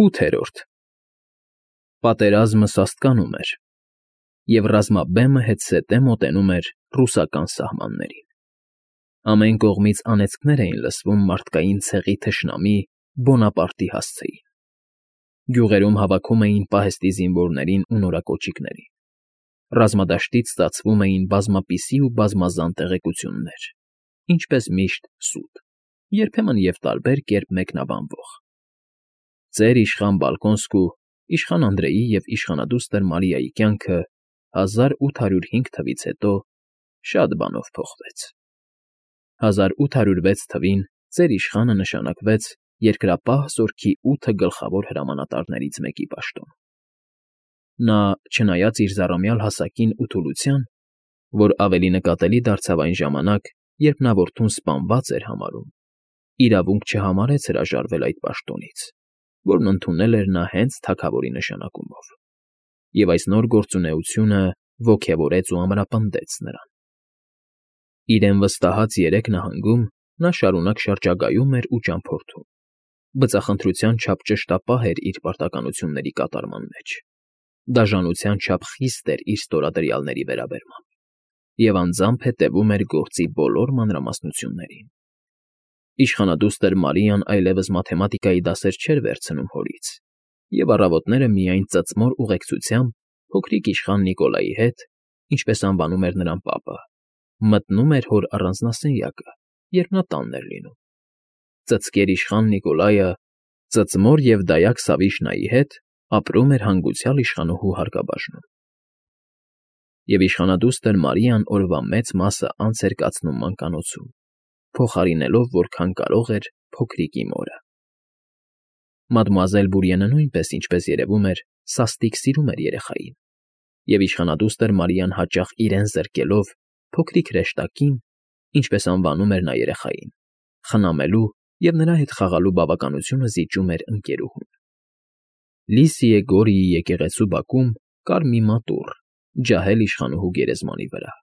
8. Պատերազմը սաստկանում էր, և ռազմաբեմը հետզհետե մոտենում էր ռուսական սահմաններին. ամեն կողմից անեծքներ էին լսվում մարդկային ցեղի թշնամի Բոնապարտի հասցեին. գյուղերում հավաքում էին պահեստի զինվորներին ու նորակոճիկներին, ռազմադաշտից ստացվում էին բազմապիսի ու բազմազան տեղեկություններ, ինչպես միշտ սուտ, երբեմն և տարբեր կերպ մեկնաբանվող. ծեր իշխան Բալկոնսկու, իշխան Անդրեյի և իշխանադուստր Մարիայի կյանքը 1805 թվից հետո շատ բանով փոխվեց. 1806 թվին ծեր իշխանը նշանակվեց Երկրապահ զորքի 8 գլխավոր հրամանատարներից մեկի պաշտոն. նա, չնայած իր զառամյալ հասակին ու թուլության, որ ավելի նկատելի դարձավ այն ժամանակ, երբ նա որդուն սպանված էր համարում, իրավունք չհամարեց հրաժարվել այդ պաշտոնից, որն ընդունել էր նա հենց թագավորի նշանակումով, և այս նոր գործունեությունը ոգևորեց ու ամրապնդեց նրան. իրեն վստահած 3 նահանգում նա շարունակ շրջագայում էր ու ճամփորդում, բծախնդրության չափ ճշտապահ էր իր պարտականությունների կատարման մեջ, դաժանության չափ խիստ էր իր ստորադրյալների վերաբերմամբ և անձամբ հետևում էր գործի բոլոր մանրամասնություններին. իշխանադուստր Մարիան այլևս մաթեմատիկայի դասեր չէր վերցնում հորից և առավոտները միայն ծծմոր ուղեկցությամբ փոքրիկ իշխան Նիկոլայի հետ, ինչպես անվանում էր նրան պապը, մտնում էր հոր առանձնասենյակը, երբ նա տանն էր լինում. ծծկեր իշխան Նիկոլայը ծծմոր և դայակ Սավիշնայի հետ ապրում էր հանգուցյալ իշխանուհու հարկաբաժնում, և իշխանադուստր Մարիան օրվա մեծ մասը անց էր կացնում մանկանոցում, փոխարինելով որքան կարող էր փոքրիկի մորը. մադմուազել Բուրիենը նույնպես, ինչպես երևում էր, սաստիկ սիրում էր երեխային, և իշխանադուստր Մարիան հաճախ իրեն զրկելով փոքրիկ հրեշտակին, ինչպես անվանում էր նա երեխային, խնամելու և նրա հետ խաղալու բավականությունը զիջում էր ընկերուհուն. Լիսիե Գորիի եկեղեցու բակում կար մի մատուռ, ջահել իշխանուհու գերեզմանի վրա.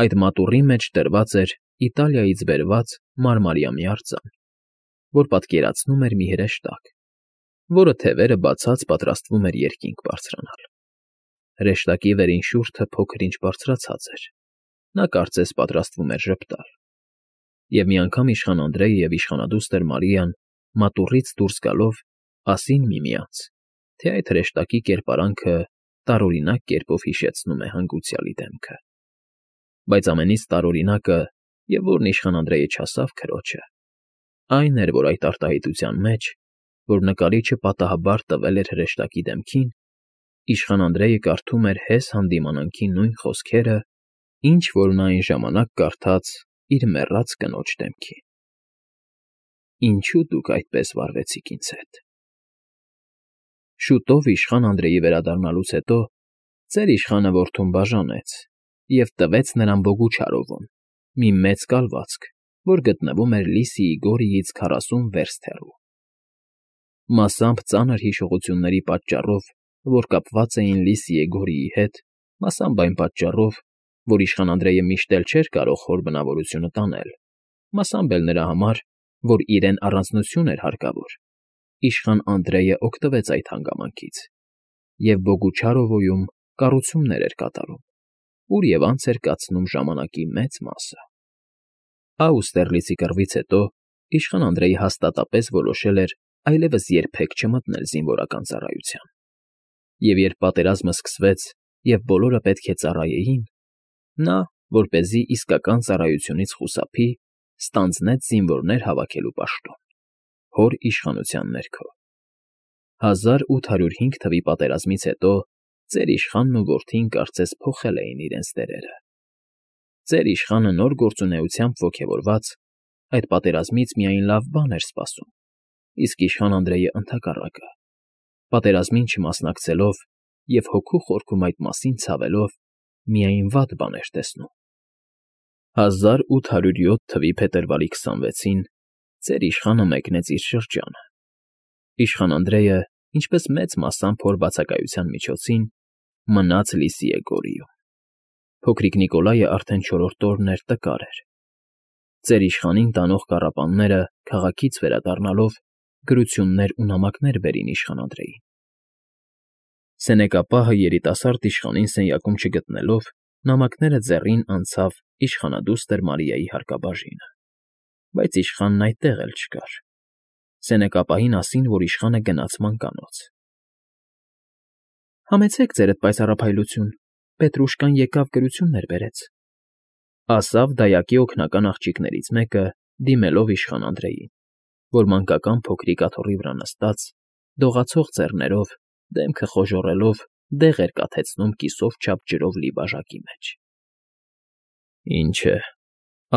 այդ մատուռի մեջ դրված էր Իտալիայից բերված մարմարյամի արձան, որ պատկերացնում էր մի հրեշտակ, որը թևերը բացած պատրաստվում էր երկինք բարձրանալ. հրեշտակի վերին շուրջը փոքր-ինչ բարձրացած էր, նա կարծես պատրաստվում էր ժպտալ, և մի անգամ իշխան Անդրեյը և իշխանադուստր Մարիան մատուռից դուրս գալով ասին միմյանց, թե այդ հրեշտակի կերպարանքը տարօրինակ կերպով հիշեցնում է հանգուցյալի դեմքը, բայց ամենից տարօրինակը, և որն իշխան Անդրեյը չասավ քրոջը, այն էր, որ այդ արտահայտության մեջ, որ նկարիչը պատահաբար տվել էր հրեշտակի դեմքին, իշխան Անդրեյը կարդում էր հես հանդիմանանքի նույն խոսքերը, ինչ որ նա այն ժամանակ կարդաց իր մեռած կնոջ դեմքին. Ինչո՞ւ դուք այդպես վարվեցիք ինձ հետ… Շուտով իշխան Անդրեյի վերադառնալուց հետո ծեր իշխանը որդուն բաժանեց և տվեց նրան Բոգուչարովուն, մի մեծ կալվածք, որ գտնվում էր Լիսիի Գորիից 40 վերստ հեռու. մասամբ ծանր հիշողությունների պատճառով, որ կապված էին Լիսիե Գորիի հետ, մասամբ այն պատճառով, որ իշխան Անդրեյը միշտ էլ չէր կարող հոր բնավորությունը տանել, մասամբ էլ նրա համար, որ իրեն առանձնություն էր հարկավոր, իշխան Անդրեյը օգտվեց այդ հանգամանքից և Բոգուչարովոյում կառուցումներ էր կատարում, ուր և անց էր կացնում ժամանակի մեծ մասը. Աուստերլիցի կռվից հետո իշխան Անդրեյը հաստատապես որոշել էր այլևս երբեք չմտնել զինվորական ծառայության, և երբ պատերազմը սկսվեց և բոլորը պետք է ծառայեին, նա, որպեսզի իսկական ծառայությունից խուսափի, ստանձնեց զինվորներ հավաքելու պաշտոն, հոր իշխանության ներքո. 1805 թվի պատերազմից հետո ծեր իշխանն ու որդին կարծես փոխել էին իրենց դերերը. ծեր իշխանը նոր գործունեությամբ ոգևորված, այդ պատերազմից միայն լավ բան էր սպասում, իսկ իշխան Անդրեյը ընդհակառակը, պատերազմին չմասնակցելով և հոգու խորքում այդ մասին ցավելով, միայն վատ բան էր տեսնում. 1807 թվի փետրվարի 26-ին ծեր իշխանը մեկնեց իր շրջանը. իշխան Անդրեյը, ինչպես մեծ մասամբ հոր բացակայության միջոցին, մնաց Լիսիե Գորիում. փոքրիկ Նիկոլայը արդեն 4-րդ օրն էր տկար էր. ծեր իշխանին տանող կառապանները, քաղաքից վերադառնալով, գրություններ ու նամակներ բերին իշխան Անդրեին։ Սենեկապահը երիտասարդ իշխանին սենյակում չգտնելով, նամակները ձեռին անցավ իշխանադուստր Մարիայի հարկաբաժինը, բայց իշխանն այդտեղ էլ չկար։ Սենեկապահին ասին, որ իշխանը գնաց մանկանոց։ Համեցեք ձերդ պայծառափայլություն, Պետրուշկան եկավ գրություններ բերեց, ասավ դայակի օգնական աղջիկներից մեկը, դիմելով իշխան Անդրեին, որ մանկական փոքրիկ աթոռի վրա նստած, դողացող ձեռներով, դեմքը խոժոռելով, դեղ էր կաթեցնում կիսով չափ ջրով լի բաժակի մեջ։ Ինչ է,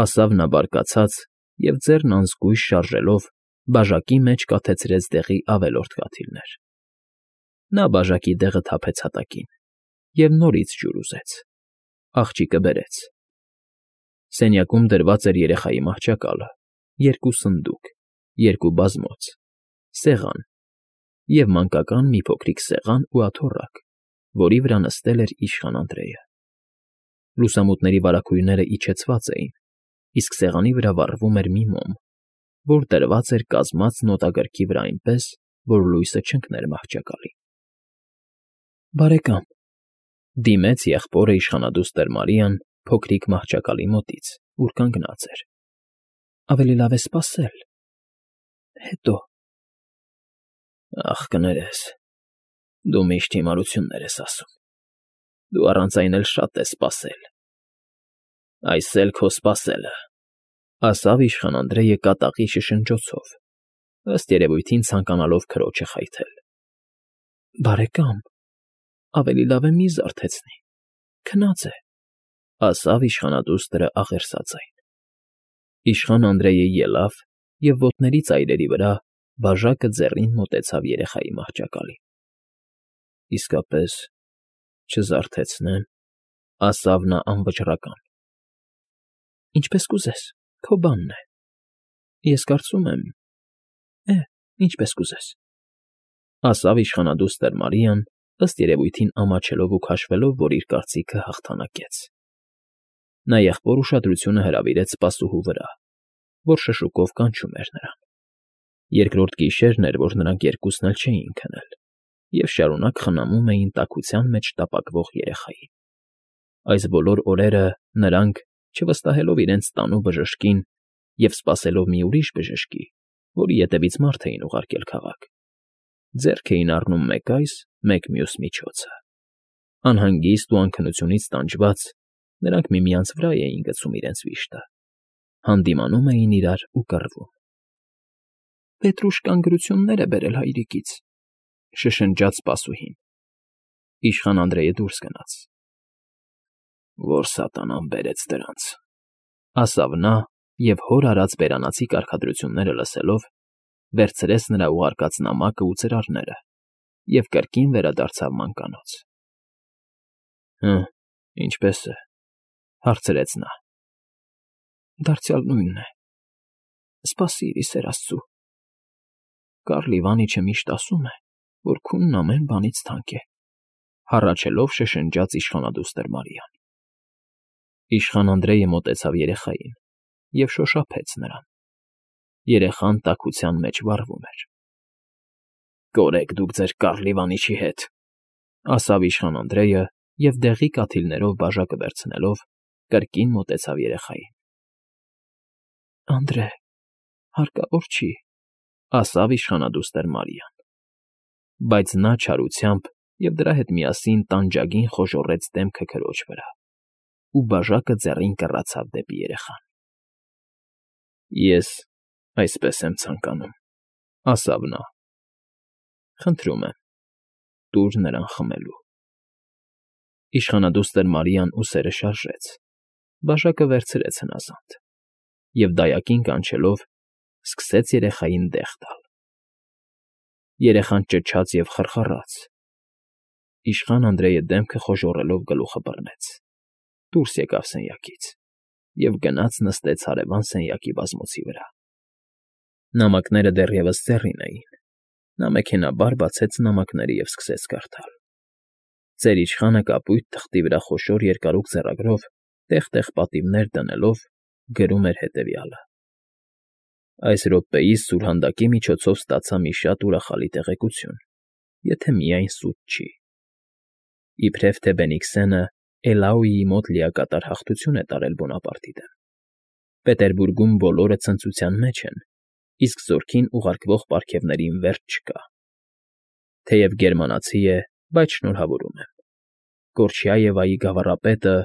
ասավ նա բարկացած և ձեռն անզգույշ շարժելով, բաժակի մեջ կաթեցրեց դեղի ավելորդ կաթիլներ։ Նա բաժակի դեղը թափեց հատակին և նորից ջուր ուզեց։ Աղջիկը բերեց։ Սենյակում դրված էր երեխայի մահճակալը, երկու սնդուկ, երկու բազմոց, սեղան և մանկական մի փոքրիկ սեղան ու աթոռակ, որի վրա նստել էր իշխան Անդրեյը։ Լուսամուտների վարագույրները իջեցված էին, իսկ սեղանի վրա վառվում էր մի մոմ, որ դրված էր կազմած նոտագրքի վրա այնպես, որ լույսը չընկներ մահճակալին։ Բարեկամ, դիմեց եղբորը իշխանադուստր Մարիան փոքրիկ մահճակալի մոտից, ուր կանգնած էր։ Ավելի լավ է սպասել, հետո։ Ախ, կներես, դու միշտ հիմարություններ ես ասում։ Դու առանց այն էլ շատ ես սպասել։ Այս էլ քո սպասելը, ասավ իշխան Անդրեյը կատաղի շշնջոցով, ըստ երևույթին ցանկանալով քրոջը խայթել։ Բարեկամ, ավելի լավ է մի զարթեցնի, քնած է, ասավ իշխանադուստրը աղերսածային։ Իշխան Անդրեյը ելավ և ոտների ծայրերի վրա բաժակը ձեռին մոտեցավ երեխայի մահճակալին։ Իսկապես չզարթեցնեմ, ասավ նա անվճռական։ Ինչպես կուզես, քո բանն է։ Ես կարծում եմ, ինչպես կուզես, ասավ իշխանադուստր Մարիան, ըստ երևույթին ամաչելով ու քաշվելով, որ իր կարծիքը հաղթանակեց։ Նա եղբոր ուշադրությունը հրավիրեց սպասուհու վրա, որ շշուկով կանչում էր նրան։ Երկրորդ գիշերն էր, որ նրանք երկուսն էլ չէին քնել և շարունակ խնամում էին տաքության մեջ տապակվող երեխային։ Այս բոլոր օրերը նրանք, չվստահելով իրենց տանու բժշկին և սպասելով մի ուրիշ բժշկի, որի ետևից մարդ էին ուղարկել քաղաք, ձեռք էին առնում մեկ այս, մեկ մյուս միջոցը։ Անհանգիստ ու անքնությունից տանջված, նրանք միմյանց վրա էին գցում իրենց վիշտը, հանդիմանում էին իրար ու կռվում։ Պետրուշկան գրություններ է բերել հայրիկից, շշնջաց սպասուհին։ Իշխան Անդրեյը դուրս գնաց։ Որ սատանան բերեց դրանց, ասավ նա և հոր արած բերանացի կարգադրությունները լսելով, վերցրեց նրա ուղարկած նամակը ու ծրարները և կրկին վերադարձավ մանկանոց։ Ինչպե՞ս է, հարցրեց նա։ Դարձյալ նույնն է, սպասիր, ի սեր Աստծու։ Կարլ Իվանիչը միշտ ասում է, որ քունն ամեն բանից թանկ է, հառաչելով շշնջաց իշխանադուստր Մարիան։ Իշխան Անդրեյը մոտեցավ երեխային և շոշափեց նրան։ Երեխան տաքության մեջ վառվում էր։ Կորեք դուք ձեր Կարլ Իվանիչի հետ, ասավ իշխան Անդրեյը և դեղի կաթիլներով բաժակը վերցնելով, կրկին մոտեցավ երեխային։ Անդրե, հարկավոր չի, ասավ իշխանադուստր Մարիան։ Բայց նա չարությամբ և դրա հետ միասին տանջագին խոժոռեց դեմքը քրոջ վրա ու բաժակը ձեռին կռացավ դեպի երեխան։ Ես այսպես եմ ցանկանում, ասավ նա։ Խնդրում եմ, տուր նրան խմելու։ Իշխանադուստր Մարիան ուսերը շարժեց, բաժակը վերցրեց հնազանդ և դայակին կանչելով, սկսեց երեխային դեղ տալ։ Երեխան ճչաց և խռխռաց։ Իշխան Անդրեյը դեմքը խոժոռելով գլուխը բռնեց, դուրս եկավ սենյակից և գնաց նստեց հարևան սենյակի բազմոցի վրա։ Նամակները դեռևս ձեռին էին։ Նա մեքենայաբար բացեց նամակները և սկսեց կարդալ։ Ծեր իշխանը կապույտ թղթի վրա խոշոր երկարող ձեռագրով տեղ֊տեղ պատիվներ դնելով գրում էր հետևյալը. Այս րոպեիս սուրհանդակի միջոցով ստացա մի շատ ուրախալի տեղեկություն, եթե միայն սուտ չի. իբրև թե Բենիքսենը Էլաուիի մոտ լիակատար հաղթություն է տարել Բոնապարտի դեմ։ Պետերբուրգում բոլորը ցնծության մեջ են, իսկ զորքին ուղարկվող պարգևներին վերջ չկա։ Թեև գերմանացի է, բայց շնորհավորում եմ։ Կորչյաևայի գավառապետը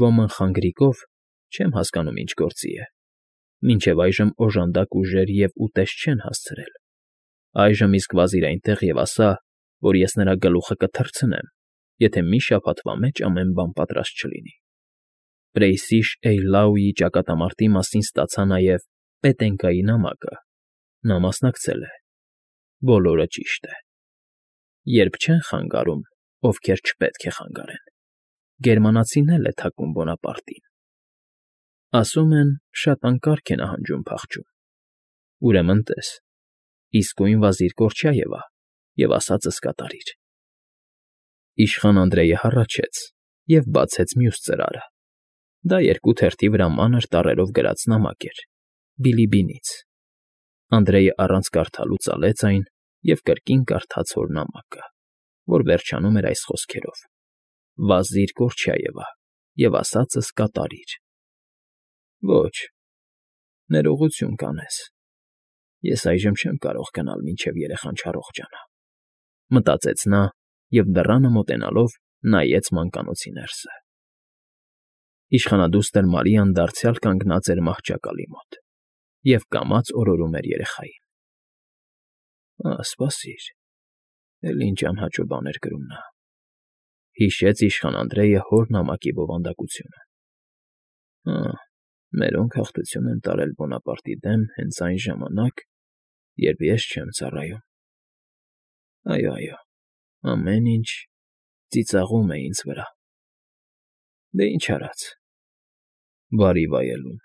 Ոմն Խանգրիկով չեմ հասկանում ինչ գործի է։ Մինչև այժմ օժանդակ ուժեր և ուտեստ չեն հասցրել։ Այժմ իսկ վազիր այնտեղ և ասա, որ ես նրա գլուխը կթռցնեմ, եթե մի շաբաթվա մեջ ամեն բան պատրաստ չլինի։ Պրեյսիշ-Էյլաուի ճակատամարտի մասին ստացա նաև Պետենկայի նամակը։ Նա մասնակցել է։ Բոլորը ճիշտ է։ Երբ չեն խանգարում, ովքեր չպետք է խանգարեն, գերմանացին էլ է թակում Բոնապարտին։ Ասում են, շատ անկարգ է նահանջում փախչում։ Ուրեմն տես, իսկույն վազիր Կորչյաևա և ասածս կատարիր։ Իշխան Անդրեյը հառաչեց և բացեց մյուս ծրարը։ Դա երկու թերթի վրա մանր տառերով գրած նամակ էր, Բիլիբինից։ Անդրեյը առանց կարդալու ծալեց այն և կրկին կարդաց հոր նամակը, որ վերջանում էր այս խոսքերով. «Վազիր Կորչյաևա և ասածս կատարիր»։ Ոչ, ներողություն կանես։ Ես այժմ չեմ կարող գնալ, մինչև երեխան չառողջանա, մտածեց նա և դռանը մոտենալով նայեց մանկանոցի ներսը։ Իշխանադուստր Մարիան դարձյալ կանգնած էր մահճակալի մոտ և կամաց օրորում էր երեխային։ Սպասիր, էլի ինչ անհաճո բան էր գրում նա, հիշեց իշխան Անդրեյը հոր նամակի բովանդակությունը։ Մերոնք հաղթություն են տարել Բոնապարտի դեմ հենց այն ժամանակ, երբ ես չեմ ծառայում։ Այո, ամեն ինչ ծիծաղում է ինձ վրա։ Դե ինչ արած, բարի վայելում։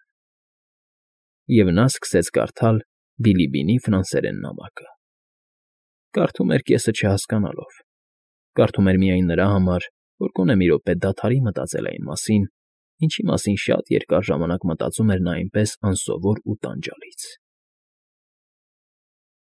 Եվ նա սկսեց կարդալ Բիլիբինի ֆրանսերեն նամակը։ Կարդում էր կեսը չհասկանալով։ Կարդում էր միայն նրա համար, որ գոնե մի րոպե դադարի մտածել այն մասին, ինչի մասին շատ երկար ժամանակ մտածում էր նա այնպես անսովոր ու տանջալից։